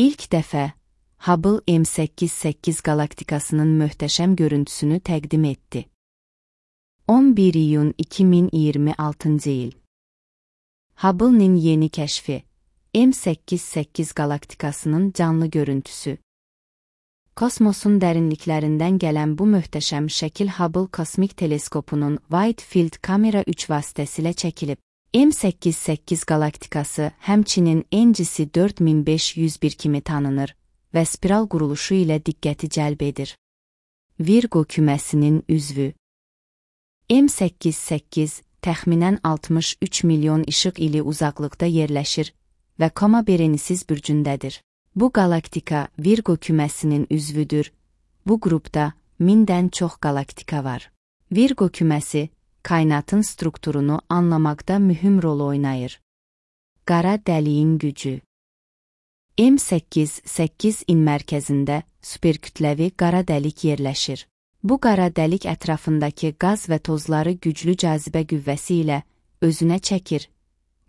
İlk dəfə Hubble M88 galaktikasının möhtəşəm görüntüsünü təqdim etdi. 11 iyun 2026 il. Hubble'nin yeni kəşfi, M88 galaktikasının canlı görüntüsü. Kosmosun dərinliklərindən gələn bu möhtəşəm şəkil Hubble kosmik teleskopunun Wide Field kamera 3 vasitəsilə çəkilib. M88 galaktikası həmçinin NGC 4501 kimi tanınır və spiral quruluşu ilə diqqəti cəlb edir. Virgo küməsinin üzvü. M88 təxminən 63 milyon işıq ili uzaqlıqda yerləşir və Coma Berenices bürcündədir. Bu galaktika Virgo küməsinin üzvüdür. Bu qrupda 1000-dən çox galaktika var. Virgo küməsi kainatın strukturunu anlamaqda mühüm rol oynayır. Qara dəliyin gücü. M88-in mərkəzində superkütləvi qara dəlik yerləşir. Bu qara dəlik ətrafındakı qaz və tozları güclü cazibə qüvvəsi ilə özünə çəkir,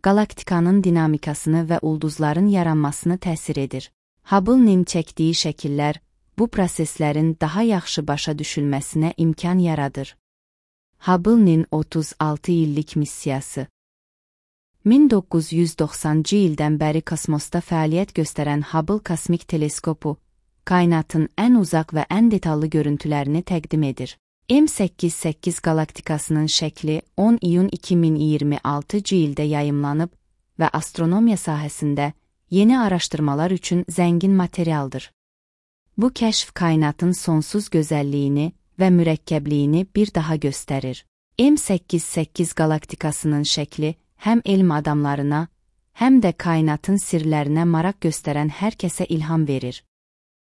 galaktikanın dinamikasını və ulduzların yaranmasını təsir edir. Hubble'nin çəkdiyi şəkillər bu proseslərin daha yaxşı başa düşülməsinə imkan yaradır. Hubble'nin 36 illik missiyası. 1990-cı ildən bəri kosmosda fəaliyyət göstərən Hubble kosmik teleskopu, kainatın ən uzaq və ən detallı görüntülərini təqdim edir. M88 galaktikasının şəkli 10 iyun 2026-cı ildə yayımlanıb və astronomiya sahəsində yeni araşdırmalar üçün zəngin materialdır. Bu kəşf kainatın sonsuz gözəlliyini və mürəkkəbliyini bir daha göstərir. M88 galaktikasının şəkli həm elm adamlarına, həm də kainatın sirlərinə maraq göstərən hər kəsə ilham verir.